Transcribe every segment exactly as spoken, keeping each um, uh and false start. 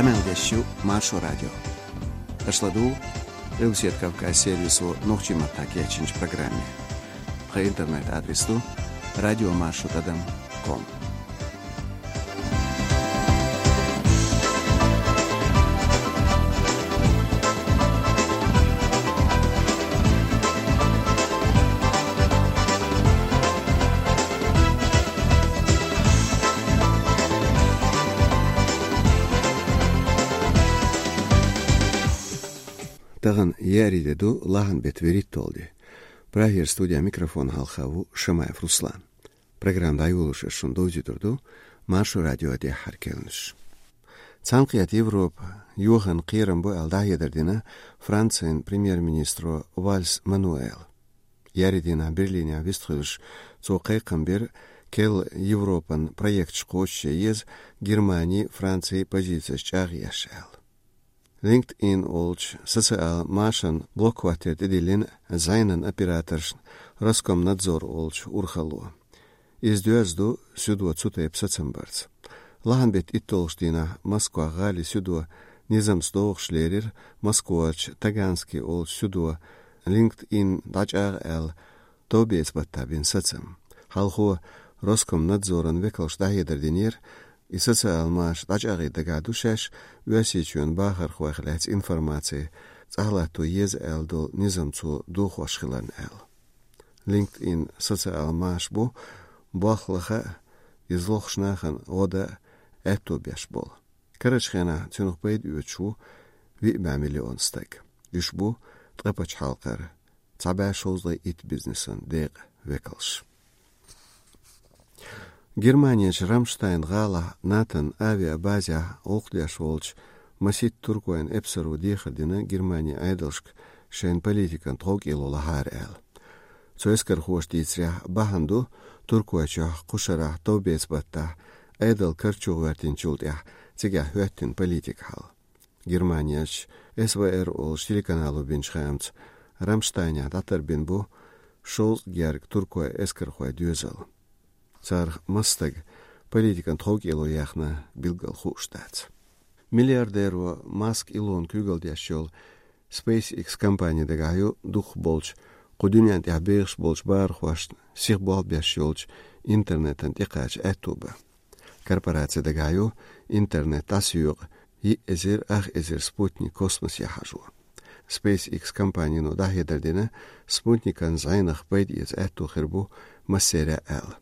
Къамел деш ю Маршо радио. Аша ладугӀу Къилбаседа Кавказ сервисо нохчийн маттахь кечйинчу программе. Тхан интернет-адрес ду радиомаршо тӀадам ком. Тахана еарин де ду, лахьан беттан вуьрхӀитталгӀа де. Прагера студехь микрофон хьалха ву Шамаев Руслан. Программа дӀайолош ас шуна довзуьйтур ду Маршо радион тӀаьххьара керланаш. Цхьаьнакхетта Европа йохийна кхерам бу аьлла дӀахьедар дина Францин премьер-министро Вальс Мануэла. Еарин дийнахь Берлинехь вистхуьлуш, цо кхайкхам бира, керла Европан проекташ кхочушъян еза, Германин, Францин позицеш чӀагӀъеш аьлла. LinkedIn олучу социал машан блок хӀоттор тӀедиллина зӀенан операторшна Роскомнадзор олучу урхалло. Иза доьзна ду суьдо цу тайпа сацам барца. Лахьан беттан итталгӀачу дийнахь Москвахь гӀалин суьдо низамца догӀуш лерира Москварчу Таганский олучу суьдо LinkedIn дӀачӀагӀа аьлла товбеца баттахь бина сацам. Хьалхо Роскомнадзоран векалша дӀахьедар динера, и социал маша дӀачӀагӀе дагахь ду шаьш Оьрсийчоьнан бахархойх лаьцна информаци цӀахь латто еза аьлла долу низам цо дохош хиларна аьлла. LinkedIn социал маша бу болх лаха а, иза лохуш нахана гӀо дан а аьтто беш болу. Карарчу хенахь цуьнах пайда оьцуш ву виъ бӀе миллион стаг. Уьш бу ткъе пачхьалкхара цхьа бӀе шовзткъе итт бизнесан декъан векалш. Германерчу Рамштайн гӀалахь НАТОн авиабазехь гӀуллакх деш волчу масийтта туркойн эпсаро дехар дина Германин Ӏедалшка шайн политикан тховкӀело лахьара аьлла. Цу эскархоша дийцарехь, бахьана ду Туркойчохь кху шарахь товбеца баттахь Ӏедал карчо гӀоьртинчул тӀаьхьа цигахь хӀоьттина политикан хьал. Германерчу С В Р олучу телеканало бинчу хаамца, Рамштайнехь дӀатарбина бу шовзткъа гергга туркойн эскархойн доьзал. Царах масса стаг политикан тховкӀело яьхна билггал хууш дац. Миллиардеро Маск Илона куьйгалла деш йолу SpaceX компани дагахь ю дукхахболчу, кху дуьнен тӀехь бехаш болчу бахархошна сиха болх беш йолчу интернетан тӀекхача аьтто бан. Корпораци дагахь ю интернет дӀасоькъу, йиъ эзар ах эзар спутник космосе хьажо. SpaceX компанино дӀахьедар дина, спутникан зӀенах пайда эца аьтто хир бу массеран а аьлла.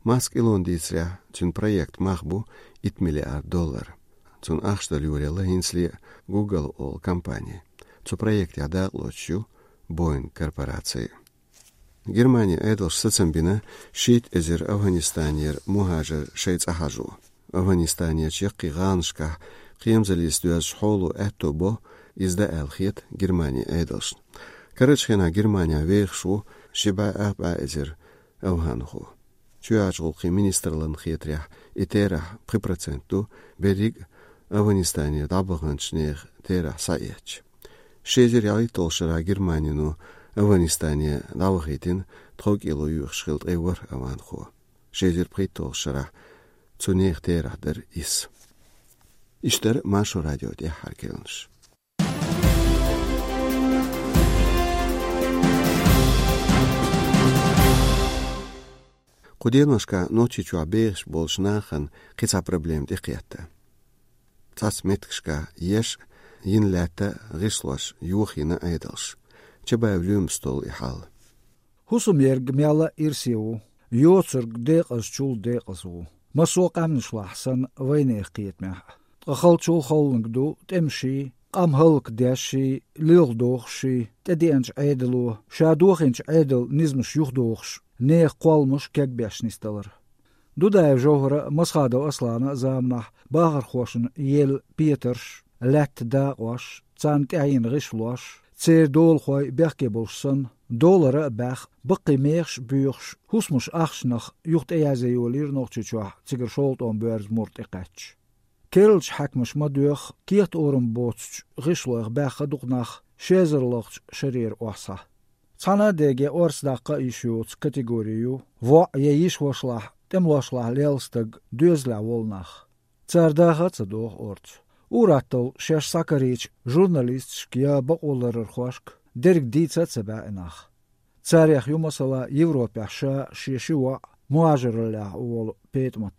Маск Илона дийцарехь, цуьнан проектан мах бу итт миллиард доллар. Цунна ахча дала йолаелла хӀинцале а Google олу компани. Цу проектехь дакъалоцуш ю Boeing корпораци. Германин Ӏедалша сацам бина шийтта эзар Афганистанера мухӀажар шайн цӀа хьажо. Афганистанерчу яккхий гӀаланашкахь кхерамзаллица доьзначу хьоло аьтто бо иза дан аьлла хета Германин Ӏедалшна. Карарчу хенахь Германехь вехаш ву ши бӀе ах бӀе эзар афганхо. Чоьхьарчу гӀуллакхийн министраллина хетарехь, и терахь пхи процент ду берриг а Афганистанера дӀабаханчу нехан терахь схьаэцча. Ши эзар ялхитталгӀачу шарахь Германино Афганистане дӀавахийтина тховкӀело йоьхуш хилла ткъе ворхӀ афганхо. Ши эзар пхийтталгӀачу шарахь цу нехан терахь дара исс. Иштта дара Маршо радион тӀаьххьара керланаш. Кху деношкахь Нохчийчохь бехаш болчу нахана кхин цхьа проблема тӀекхетта. Цхьацца меттигашкахь еш а, йина лаьтта а гӀишлош йохийна Ӏедалша. Чабаев Лоьмас толлу и хьал. ХӀусамерг мелла а ирсе ву, йоцург декъазчул декъаза ву. Массо а къаьмнашлахь санна, вайнехан кхетамехь а. Ткъа халчул халланиг ду тӀемаший, къам хӀаллакдешший, лилхадохушший, тӀедеанчу Ӏедало, ша дохийначу Ӏедалан низамаш юхадохуш, нехан кхолламаш кегбеш нисдалар. Дудаев ЖовхӀара а, Масхадов Аслана а заманахь бахархошна елла петарш, лаьттан дакъош, царна тӀаьхьа йина гӀишлош, церан долахой бехке болуш санна, долара а баьхна, баккхий мехаш а боьхуш, хӀусамаш ахчанах юха тӀеязъян йолийра Нохчийчохь цигара шолгӀа тӀом боьрзу мур тӀекхаьчча. Керлачу хьаькамаша ма-доьхху, кехат-орам боцучу гӀишлойх баьхна дукха нах ши эзар лахчу шарера охьасахь. Цхьана а деге орца даккха а йиш йоцу категори ю воӀ я йиша-вашалахь, тӀемалошлахь лелла стаг, доьзалехь волу нах. Цара даха а ца доху орцу. Ур-атталла шаьш схьакарийча журналисташка я бакъоларъярхошка дерриг дийца а ца баьӀина нах. Царех ю, масала, Европехь ша, шен ши воӀ мухӀажараллехь волу ПетӀамат.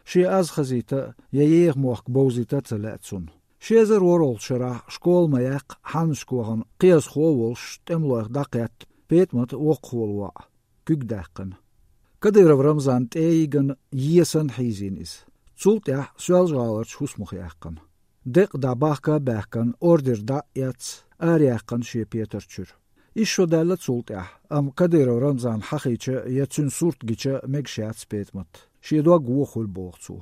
Шен аз хазийта а, я еха мохк бовзийта а ца лаьа цунна. Ши эзар ворхӀалгӀачу шарахь, школа ма-яьккхи, хьаннашка вахана, кхиазхо а волуш, тӀемалойх дӀакхетта, ПетӀамат воккхахволу воӀ куьг даьккхина. Кадыров Рамзан тӀе а йигна, есана хьийзийна иза. Цул тӀаьхьа Соьлжа-ГӀаларчу хӀусамах яьккхина. Декъа дӀа бахка а баьхкина, ордер дӀа а эцна, араяьккхина шен петар чуьра. Исс шо даьлла цул тӀаьхьа, амма Кадыров Рамзан хьахийча я цуьнан сурт гича мегаш яц ПетӀамат. Шен дог вон хуьлу, боху цо.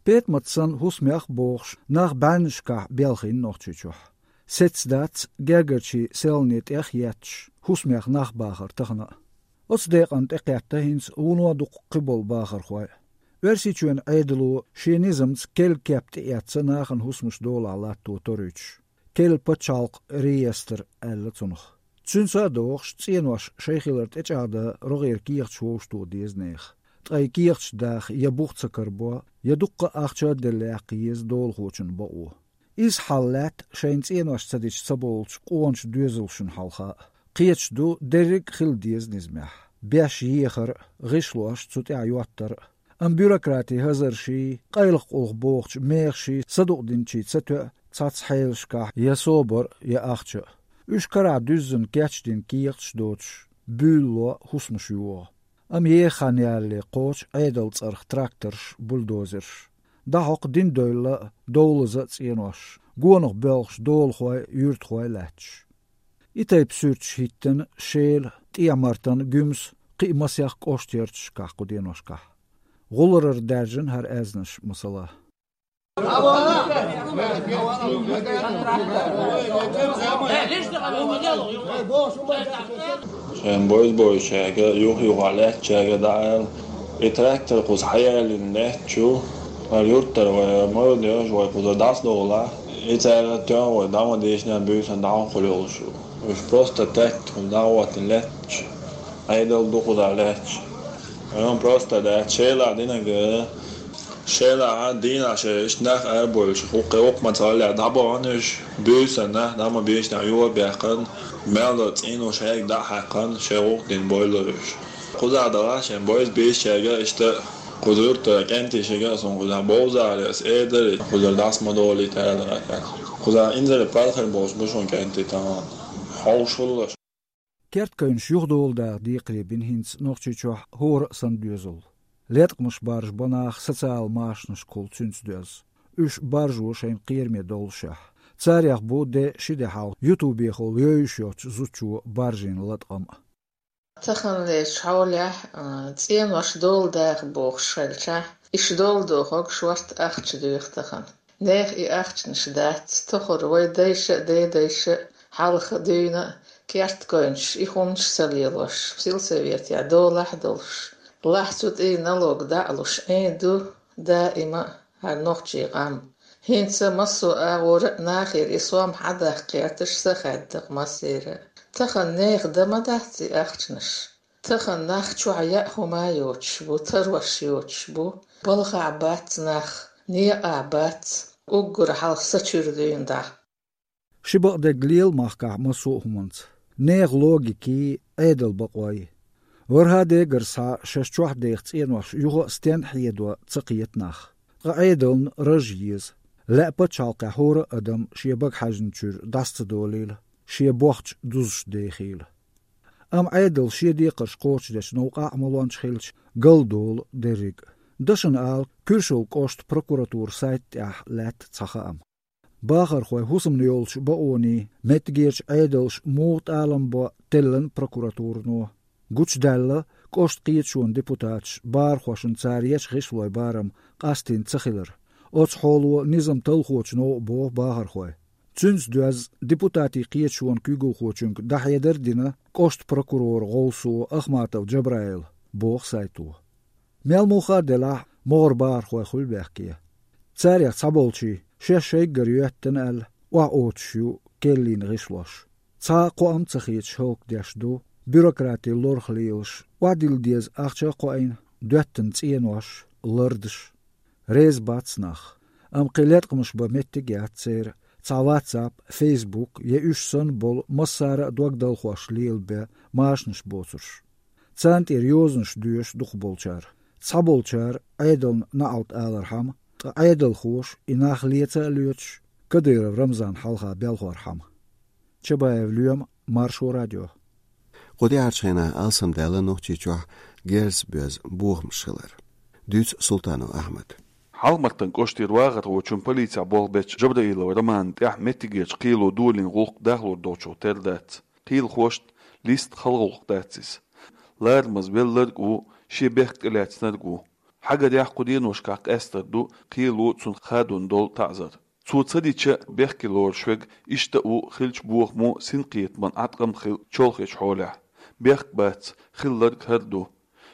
ПетӀамат санна хӀусамех а бохуш, нах бӀеннашкахь белхийна Нохчийчохь. Сецна дац гергарчийн селхане тӀех а етташ, хӀусамех нах бахар тахана а. Оцу декъана тӀекхетта хӀинца вуно дуккха кхиболу бахархой. Оьрсийчоьнан Ӏедало шен низамца керла кеп тӀеэцна нахана хӀусамаш долахь латто торуьйтуш. Керла пачхьалкхан реестр аьлла цунах. Цуьнца а догӀуш, цӀенош шайн хилар тӀечӀагӀдан рогӀера кехаташ вовшахтоха деза нехан. Ткъа и кехаташ даха я бух ца карабо, я дуккха а ахча а делла яккха еза долахочун бакъо. Иза хьал лаьтта шайна цӀенош ца дича ца бовлучу къоначу доьзалшна хьалха а. Кхеташ ду, дерриг а хила деза низамехь: беш ехар а, гӀишлош цу тӀехь йоттар а. Амма бюрократи хазарший, къайлаха къулах бохучу мехаший садукъдинчий ца тоьа цхьацца хьелашкахь я собар а, я ахча а. Уьш карахь дуьззина кечдина кехаташ доцуш, буьйлало хӀусамаш йогӀу. Амма еха хан ялале кхочу Ӏедалан цӀарах тракторш, бульдозерш. ДӀахьокху дина девлла а, довлаза а цӀенош, гонах боьлхуш долахой, юьртахой лаьтташ. И тайпа суьрташ хӀиттина Шела, ТӀехьа-Мартан, Гуьмсан, кхин а масех кӀоштарчашкахь кху деношкахь. ГӀулларара даьржина хӀара аьзнаш, масала. Шайн бовза-бовзучаьрга, юха-юха лаьттачаьрга дӀаала: «И трактор кхуза хьаялийна лаьтташ ю, хӀара юьртара вай ма ву дезаш, вай кхузара дӀасадовлахь, и цара тоьхна вай дӀа ма дийшина, буьйсанна дӀа хӀун хуьлу йолуш ю. Уьш просто тӀаьхьа кхуза дӀахӀоттийна лаьтташ, Ӏедал ду кхузахь лаьтташ». Ай, хӀун просто дац, Шелахь динарг, Шелахь дийнахь шайн иштта нах арабевлча, хӀокху-кхечу ма ца гӀолехь дӀабахана уьш, буьйсанна, дӀа ма бийшина, юха а баьккхина, мел долу цӀенош хьегга дӀа а хьаькхна, шайн гӀуллакх дина бовлура уьш. Кхузахь далахь шайн бовза-бовзучаьрга иштта, кхузара юьртара кӀентий шига а суна кхузахь бовзахьара, ас эр дара, кхузара дӀаса ма долийта аьлла. Кхузахь инзаре паргӀат болуш бу шуна кӀентий тахана. Хьовсуш хуьлуш. Керткойнаш юхадоладаха декхаре бина хӀинца Нохчийчохь хӀора а санна доьзал. Леткъамаш баржабо нах социал машанашкахула цуьнца доьзна. Уьш баржо шайна кхераме доллушехь. Царех бу де ши де хьалха ютубехула йовзуш йоцчу зудчо баржийна латкъам а. Таханлерчу хьолехь, а, цӀенош доладаха бохуш хилча, иштта доладохург шорта ахча доьху тахана. Нехан и ахчанаш дац, тохара вай дайша а, дедайша а хьалха дуьйна а керткойнаш и хӀуманаш ца лелош, сельсоветехь долахь а долуш, лахь цу тӀе налог дӀа а луш, Ӏен ду даима а хӀара нохчийн къам. ХӀинца массо а агӀора а нахера и сом хьадаккха гӀерташ са хаьдда-кх массеран а. Тахана нехан дан ма дац и ахчанаш. Тахана нах чохь яа хӀума а йоцуш бу, тарош йоцуш бу, балхахь бац нах, некъахь бац, уггар хьалха са чуьра дуьйна дӀа. Ши бакъдерг лела махкахь массо а хӀуманца. Нехан логикий, Ӏедалан бакъой. ВорхӀа дегара схьа шаьш чохь деха цӀенош юха а стенна хьедо ца кхета нах. Ткъа Ӏедална раж еза. Лаьа пачхьалкхехь хӀора а адам шен бага хьаьжначуьра дӀаса ца долийла, шен бохча дузуш дехийла. Амма Ӏедал шен декхарш кхочушдечу новкъахь а ма лончу хилча, галдолу дерриг а. Дашна ала, Куьршалла кӀоштан прокуратуран сайта тӀехь лаьтта цхьа хаам. Бахархой хӀусамна йолчу бакъонийн, меттигерчу Ӏедалша муха тӀалам бо теллина прокуратурано. Гучудаьлла кӀоштан кхеташонан депутаташа бахархошна цара ечу гӀишлойн барам къастийна ца хилар. Оцу хьоло низам талхочу новкъа боху бахархой. Цуьнца доьзна депутатийн кхеташонан куьйгалхочуьнга дӀахьедар а дина кӀоштан прокуроран гӀовсо Ахматов Джабраила, боху сайто. Мел муха а делахь, могӀара бахархой хуьлу бехке. Царех цхьаболчийн, шаьш шайггара йоьттина аьлла, охьаоьцуш ю керлийн гӀишлош. Цхьа а кхоам ца хеташ хӀаллакдеш ду, бюрократи лорах лелаш, охьадилла деза ахча а кхоийна, доьттина цӀенош, лардаш. Реза бац нах. Амма кхин латкъамаш бан меттиг яц церан. Цхьа WhatsApp, Facebook я уьш санна болу массара а догдалхош лелабе машанаш боцурш. Царна тӀера йозанаш доьшу дукхахболчара. Цхьаболчара Ӏедална наӀалт алархьама, ткъа Ӏедалхоша и нах леца а лоьцуш, Кадыров Рамзан хьалха белхорхьама. Чабаев Лоьма, Маршо радио. Кху тӀаьхьарчу хенахь алсамдаьлла Нохчийчохь герз боьзна бохамаш хилар. Дуьйцу Султанов Ахьмада. Хьалха-Мартан кӀоштера вахархочун полицехь болх бечу Джабраилов Романна тӀехь меттигерчу кхело долийна гӀуллакх дахлур долчух тера дац. Кхелахошна листа хала гӀуллакх дац иза. Ларамаза велларг а ву, шен бехк тӀелаьцнарг а ву. Хьагарехь, кху деношкахь къаьстар ду кхело цунна хадорна долу таӀзар. Цо ца дича, бехке лоруш верг иштта а ву, хиллачу бохамо синкхетаман Ӏаткъам хилла чолхечу хьолехь. Бехк бац, хилларг хӀара ду.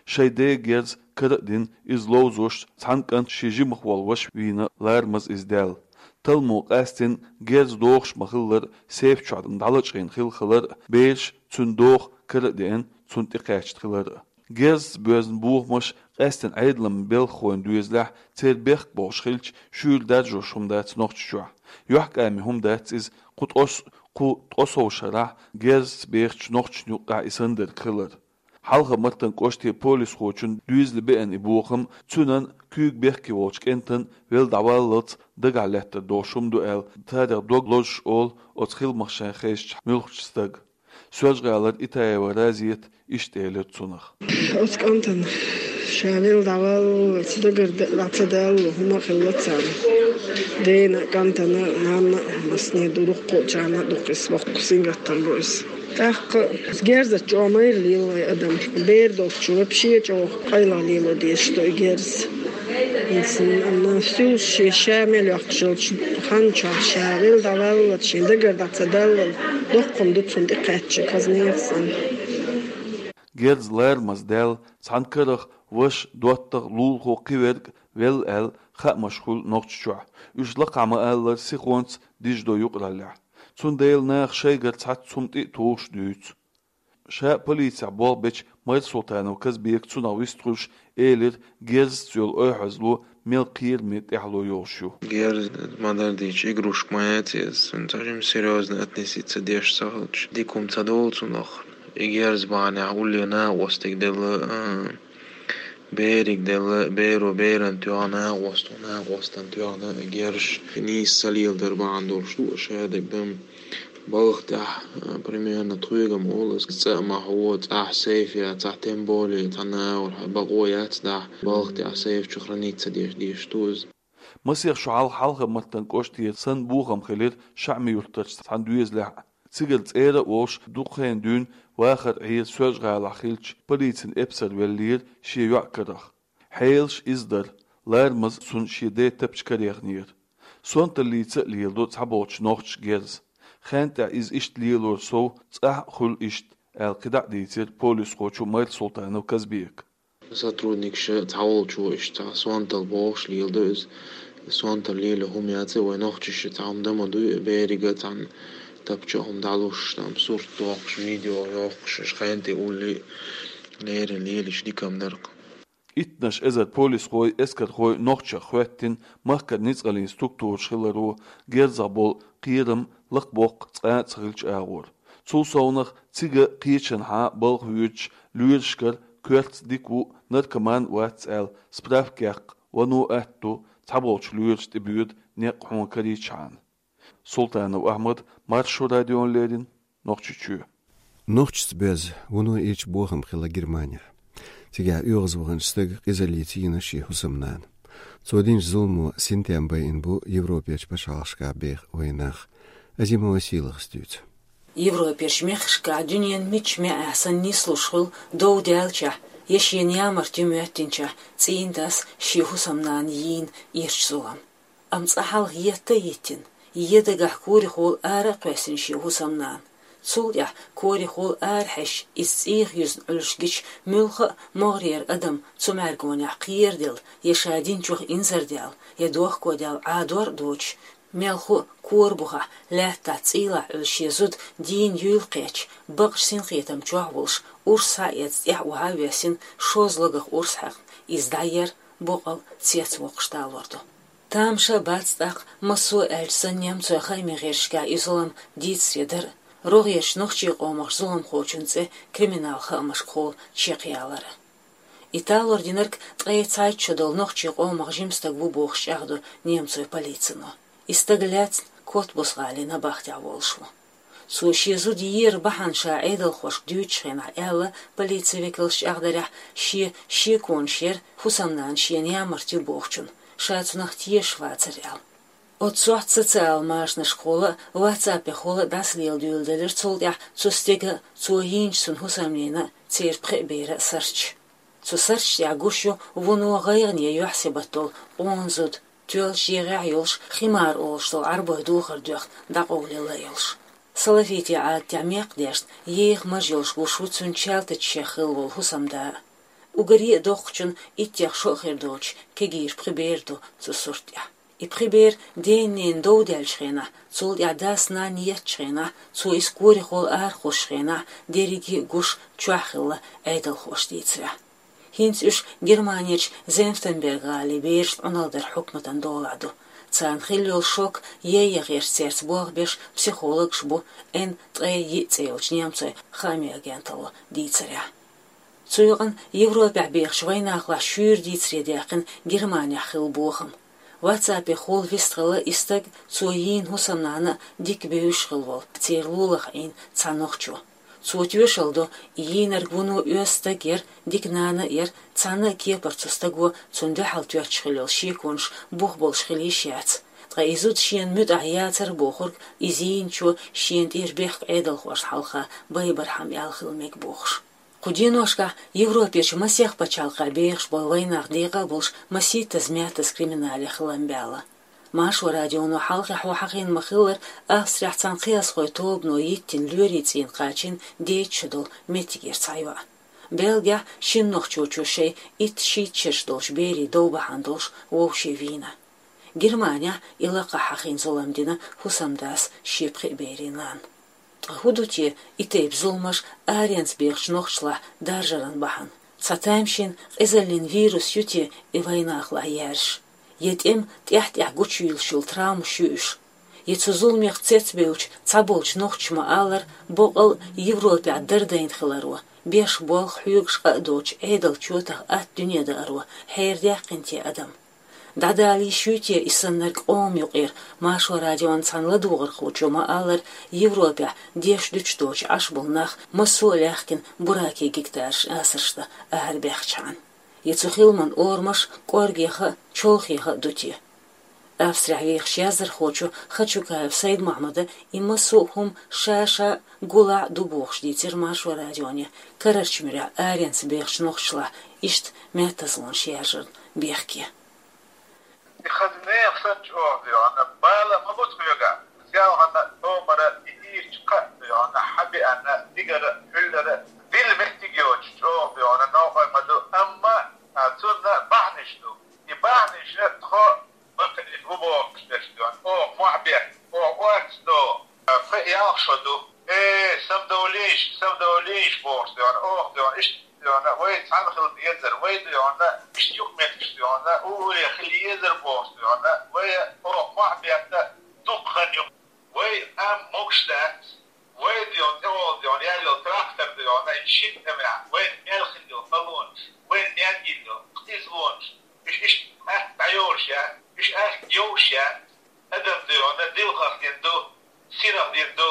Шайн ден герз кара а дина, иза ловзош, цхьана кӀанта шен жимах волу ваша вийна Ларамаза иза даьлла. Талламо къастийна герз дохуш ма-хиллара, сейфа чохь дӀалачкъийна хилла хилар а, бераш цуьнан доху кара а деана, цунна тӀекхаьчна хилар а. Герзца боьзна бохамаш къаьстина Ӏедалан белхахойн доьзалехь, церан бехк бохуш хилча, шуьйра даржош хӀума дац Нохчийчохь. Йохкаме хӀума дац иза, кху тӀос-, кху ткъа сов шарахь герзца бехачу нохчашна юккъехь и санна дерг хилар. Хьалха-Мартан кӀоштан полисхочун доьзале беана и бохам, цуьнан куьйга бехке волчу кӀентан велла дӀаваллалц дагахь лаьттар долуш хӀума ду аьлла, царах дог лозуш олу оцу хиламах шайн хезачу муьлххачу стага. Соьлжа-ГӀалара Итаева Разита иштта элира цунах. Оцу кӀантана ша велла дӀаваллалц дагара д-, дӀа ца далло хӀума а хилла царна. Дена а, кӀантана а, нанна а, масане а ду, дуккхачарна а ду, кхин боккха сингаттам бу иза. ТӀаккха герзаца чӀогӀа майра лела вайн адам. Бер долчу вообще чӀогӀа къайлаха лело дезаш ду и герз. Иза, м, стуьллуш шен ша мел йоккхуш йолчу хан чохь ша велла дӀаваллалц, шен дагара дӀа ца даллал, доккха хӀума ду цунна тӀекхаьчча, казнех санна. Герз Ларамаза даьлла, цхьана карах ваша, доттагӀа, лулахо, кхин верг а велла аьлла, хаамаш хуьлу Нохчийчохь. Уьш лакхахь ма-аллара сихонца диждо юкъараллехь. Цундела наха шайгара цхьацца хӀума тӀе а тухуш дуьйцу. Ша полицехь болх бечу Майрсултанов Казбека цунах вистхуьлуш элира, герзаца йолу ойхьазло мел кхераме тӀаьхьало йолуш ю. Герз ма-дарра дийцича, игрушка ма яц иза, цуьнца жима серьёзно относиться деш ца хилча, дика хӀума ца долу цунах. И герз бахьанехь улле накъостиг делла, а, бериг делла, беро беран тоьхна, накъосто накъостан тоьхна герзаш нийса ца леладар бахьана долуш ду, шадерг дан балха тӀехь, а, примерно тхоьгам олу аса, цӀа а ма хьо, цӀахь сейф яцахь, тем более цхьа нагӀур хьан бакъо яц дахь, балха тӀехь сейф чу храниться деш, деш ду иза. Масех шо хьалха Хьалха-Мартан кӀоштера санна бохам хилира ШаӀми-Юьртарчу цхьана доьзалехь а. Цигара цӀера а волуш, дукха хенахь дуьйна вахар Ӏийра Соьлжа-ГӀалахь хилча, полицин эпсар веллера шен йоӀ карах. Хьелаш иза дара, Ларамаза цунна шен ден тапча карехнера. Сонталлица а леладо цхьаболчу нохчаша герз. Хенан тӀехь иза иштта лелоран сов цӀахь а хуьлу иштта, аьлла кхидӀа а дийцира полисхочо Майрсултанов Казбека. Сотрудникаша цхьаволчо иштта сонталла бохуш леладо иза. Сонталла лело хӀума яц, вай нохчаша цхьа хӀума дан ма дуй, берига цхьана тапча хӀума дӀалуш, там сурт дохуш, видео йохуш, аша хенан тӀе улле а леррина лелийча дика-м дара-кх. Иттанаш эзар полисхой, эскархой нохчех хӀоьттина махкара ницкъаллин структураш хиларо, герзах болу кхерам лакхабоккху цкъа а ца хиллачу агӀор. Цул совнах цига кхечанхьа балха воьдучу лоьрашкара коьртаца дика ву, наркоман вац аьлла, справка яккха вано атта ду, цхьаболчу лоьраша тӀебоьду некъ хьуна карийчхьана. Султанов Ахьмад, Маршо радиона леррина, Нохчийчоь. Нохчашца боьзна вуно ирча бохам хилла Германехь. Цигахь оьгӀазваханчу стага къизаллица йина шен хӀусамнана. Цо динчу зуламо синтем байина бу Европерчу пачхьалкхашкахь беха вайнах. Азимова Сийлахас дуьйцу. Европерчу мехкашкахь дуьненан мичча маьӀехь санна нислуш хуьлу дов даьллачохь я шена ямарта ю моьттинчохь цӀийнан дас шен хӀусамнана йийна ирча зулам. Амма цкъа хьалха етта а йиттина, я дагахь корехула ара а кхоьссина шен хӀусамнана. Цул тӀаьхьа корехула арахьаьжча, иза цӀийх юьзна Ӏуьллуш гича, муьлхха а могӀарера адам цу мӀаьргонехь кхераделла, я ша динчух инзардаьлла, я дохкодаьлла Ӏадор а доцуш, мелхо а кора бухахь, лаьттахь цӀийлахь Ӏуьллу шен зуда дийна юйла кхаьчча, бакъчу синхетам чохь волуш, урс схьаэцна тӀаьхьа охьа а воьссина, шозлагах урс хьаькхна, иза дӀаер, боккъал цец воккхуш далор ду. Тамаша бац тӀаккха массо а аьлча санна немцойн хааман гӀирсашкахь и зулам дийцаре дар а, рогӀерчу нохчийн къомах зуламхочун цӀе криминал хаамашкахула чекхъялар а. И талор динарг ткъе цхьайтта шо долу нохчийн къомах жима стаг ву бохуш чӀагӀдо немцойн полицино. И стаг лаьцна Коттбус-гӀалин набахтехь волуш ву. Цо шен зуда еран бахьана ша Ӏедалхошка дуьйцучу хенахь аьлла, полицин векалша чӀагӀдарехь, шен шеконаш яра хӀусамнана шена ямарта ю бохучун, ша цунах тешаш вацара аьлла. Оццу сохьта социалан машанашкахула а, ватсапехула а дӀасалела дуьйладелира цул тӀаьхьа цу стеган а, цо йийначу цуьнан хӀусамненан а, церан пхеа беран а сурташ. Цу сурташ тӀехь гуш ю вуно гӀайгӀане юьхь-сибат долу къона зуда, тоьллачу егӀехь йолуш, химар олуш долу Ӏарбойн духар доьхна дӀакъовлаелла йолуш. Салафитийн Ӏадатехь мекх дешна, еха маж йолуш гуш ву цуьнан чалтачех хилла волу хӀусамда а. Уггаре а доккхачун иттех шо а хир доцуш, кегийра пхи бер ду цу сурт тӀехь. И пхи бер ден-ненан дов даьллачу хенахь, цул тӀаьхьа дас-нанна еттачу хенахь, цо иза корехула арахосучу хенахь, дерриге а гуш чохь хилла, Ӏедалхоша дийцарехь. ХӀинца уьш Германерчу Зенфтенберг-гӀалин берашна Ӏуналла даран хьукматан долахь ду. Царна хилла йолу шок яйъян гӀерташ цаьрца болх беш психологаш бу Н ткъе йиъ цӀе йолчу немцойн хаамийн агенталло дийцарехь. Цу юкъана Европехь бехачу вайнахалахь шуьйра дийцаре даьккхина Германехь хилла бохам. Ватсапехула вистхилла и стаг, цо йийна хӀусамнана а дика бевзаш хилла волу, церан лулахь Ӏийна цхьа нохчо. Цо тоьшалла до, и йийнарг вуно оьзда стаг яра, дика нана а яра, цхьана а кепара цу стаго цунна дуьхьал тоьттуш хилла йолу шеконаш бух болуш хила йиш яц. Ткъа и зуда шена муьтӀахь яцара бохург иза йийначо шена тӀера бехк Ӏедалхошна хьалха байбархьама аьлла хила мега бохуш. Кху деношкахь Европерчу масех пачхьалкхехь бехаш болу вайнах декъа а болуш масийттаза-маьттаза криминале хилам баьлла. Маршо радионо хьалхе хьо хьахийна ма-хиллара, Австрехь цхьана кхиазхойн тобано йиттина лоьрийн цӀийнан кхачийна дейтта шо долу меттигера цхьа йоӀ. Бельгехь шина нохчочо шайн итт-шийтта шераш долчу берийн дов бахьана долуш вовшийн вийна. Германехь и лакхахь хьахийна зулам дина хӀусамдас шен пхеа берийн нанна. Ткъа хӀун ду те и тайпа зуламаш аренца бехачу нохчашлахь даржаран бахьана? Цхьа тамашийна къизаллин вирус ю те и вайнахалахь яьржаш? Я тӀеман тӀаьхь-тӀаьхьа гучуйуьйлуш йолу травмаш ю уьш? Я цу зуламех цецбевллачу цхьаболчу нохчаша ма-аллара, боккъал а Европехь дардайна хиларо, беш болх хьоьгуш къа а доцуш Ӏедалан чотах атта дуьне дааро хьерадаьккхина те адам? ДӀадала йиш юй те и саннарг къоман юкъера? Маршо радион цхьана ладугӀурхочо ма-аллара, Европехь деш-дуьтуш доцуш Ӏаш болу нах массо а лаьхкина буракийн гектараш асарш дан арабаьхчахьана. Я цу хиламан орамаш кӀоргеха а, чолхеха а ду те? Австрехь вехаш яздархочо Хачукаев Сайд-Мохьмада и массо а хӀума ша-ша гулахь а ду бохуш дийцира Маршо радионе, карарчу муьрехь аренца бехачу нохчашлахь иштта маьттазлонаш яржарна бехке. И хаза нехан санна чӀогӀа доьгӀна, бала ма бу тхоьга, ялхана томара и ийрчу кхаъ доьгӀна, хьан беана, дигара, хьуьллара, дилла меттиг йоцуш чӀогӀа доьгӀна, новкъа ма ду, амма, а, цунна бахьанаш ду. И бахьанаш тхо баккхийчу ву бохуш дерш доьгӀна, оха мохь бетта, оха орца до, а, пхи-ялх шо ду. Э, самадовлийша, самадовлийша бохуш доьгӀна, оха доьгӀна, иштта доьгӀна, вай цхьаьна хила дезара, вай доьгӀна, иштта юкъаметтигаш доьгӀна, уггаре хила езара бохуш доьгӀна, вай оха мохь бетта дукха хан ю. Вай амма могуш дац, вай доьгӀна, тӀехула доьгӀна, яьлла йолу трактор доьгӀна, и шина тӀамехь, вайна мел хила йолу халонаш, вайна мел йилла йолу къизалонаш, уьш иштта атта дӀайолуш яц, уьш атта йовш яц, адам доьгӀна, дилхах дина ду, синах дина ду,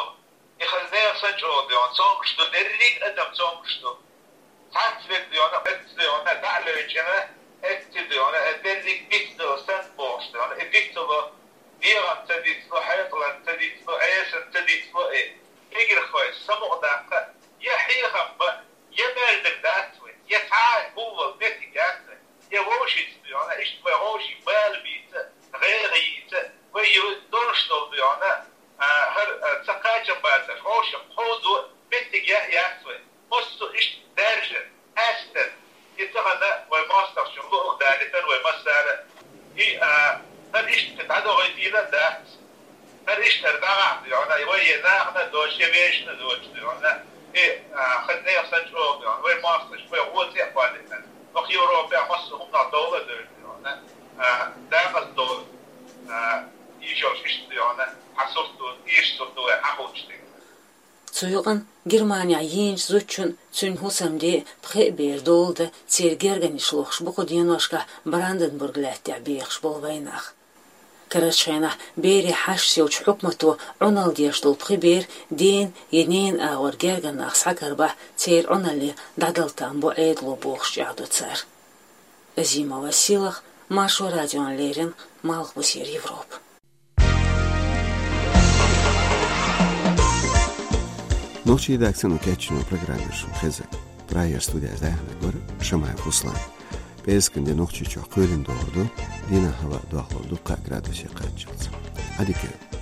и хаза нехан санна чӀогӀа доьгӀна, цомгуш ду, дерриг а адам цомгуш ду. Цхьацца верг доьгӀна, эцца доьгӀна, дӀа а левчӀина, эцца доьгӀна, э, дерриг бицдала санна бохуш доьгӀна, и бицдало, дегӀан ца дицло, хьекъалан ца дицло, Ӏесана ца дицло, и кегирхой самукъадаккха, я хьехам бан, я мел дерг дац вай, я цхьа а гулвал меттиг яц вай, я вовшашца доьгӀна, иштта вай вовшийн бала бийца, гӀайгӀа йийца, вай ю долуш долу доьгӀна, а, хӀара, а, ца кхачам бацарш, вовшийн кховдо меттиг я яц вай. Массо а иштта даьржа, астар, и тахана вай мостагӀчун луъург далийтар вай массара. И, а, хӀара иштта дӀадохуьйтийла дац. ХӀара иштта хӀара дӀагӀахь доьгӀна, вай е нахана доцуш, е вешна доцуш доьгӀна. И, а, хӀара нехан санна чӀогӀа доьгӀна, вай мостагӀчун, вай гӀо цӀе а кхоллийтина. Ваха Европехь массо а хӀуманах довла а девлла доьгӀна. А, дакъаза довла. Хьан сурт ду, ийрча сурт ду вай хьан хуучу дика. Цу юкъанна Германехь йийначу зудчун, цуьнан хӀусамден пхеа бер доладан, церан гергарнаш лохуш бу кху деношкахь Бранденбург-лаьттахь бехаш болу вайнах. Карарчу хенахь берийн хьашташ йолчу хьукмато Ӏуналла деш долу пхи бер ден я ненан агӀор гергара нах схьакарбахь, церан Ӏуналле дӀадала там бу Ӏедало бохуш чӀагӀдо цара. Азимова Силах, Маршо радиона леррина, Малхбузера Европа. Нохчийн редакцино кечйина программа шуна хезира. Прагера студехь даьхнарг вара Шамаев Руслан. ПӀераскан де Нохчийчохь кхоьлина догӀур ду, дийнахь хӀаваъ дохлур ду кхаа градусе кхаччалц. Ӏадика йойла.